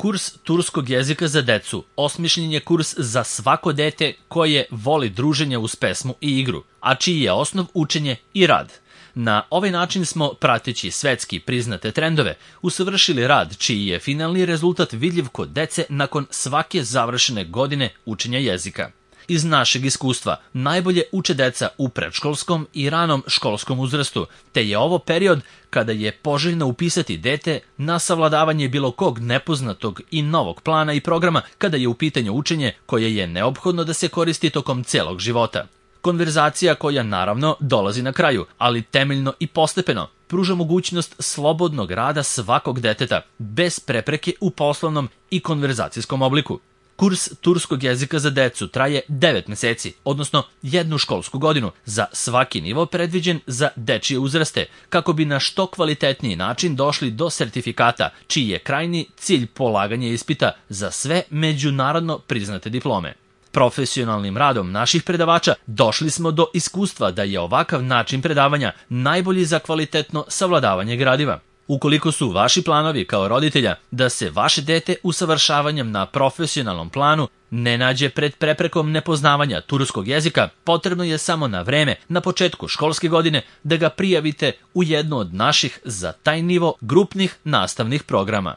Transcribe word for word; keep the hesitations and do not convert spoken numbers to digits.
Kurs turskog jezika za decu osmišljen je kurs za svako dete koje voli druženje uz pesmu i igru, a čiji je osnov učenje i rad. Na ovaj način smo, prateći svetski priznate trendove, usavršili rad čiji je finalni rezultat vidljiv kod dece nakon svake završene godine učenja jezika. Iz našeg iskustva najbolje uče deca u predškolskom i ranom školskom uzrastu, te je ovo period kada je poželjno upisati dete na savladavanje bilo kog nepoznatog i novog plana i programa kada je u pitanju učenje koje je neophodno da se koristi tokom celog života. Konverzacija koja naravno dolazi na kraju, ali temeljno i postepeno, pruža mogućnost slobodnog rada svakog deteta, bez prepreke u poslovnom i konverzacijskom obliku. Kurs turskog jezika za decu traje devet meseci, odnosno jednu školsku godinu, za svaki nivo predviđen za dečije uzraste, kako bi na što kvalitetniji način došli do sertifikata, čiji je krajnji cilj polaganje ispita za sve međunarodno priznate diplome. Profesionalnim radom naših predavača došli smo do iskustva da je ovakav način predavanja najbolji za kvalitetno savladavanje gradiva. Ukoliko su vaši planovi kao roditelja da se vaše dete usavršavanjem na profesionalnom planu ne nađe pred preprekom nepoznavanja turskog jezika, potrebno je samo na vreme, na početku školske godine, da ga prijavite u jednu od naših za taj nivo grupnih nastavnih programa.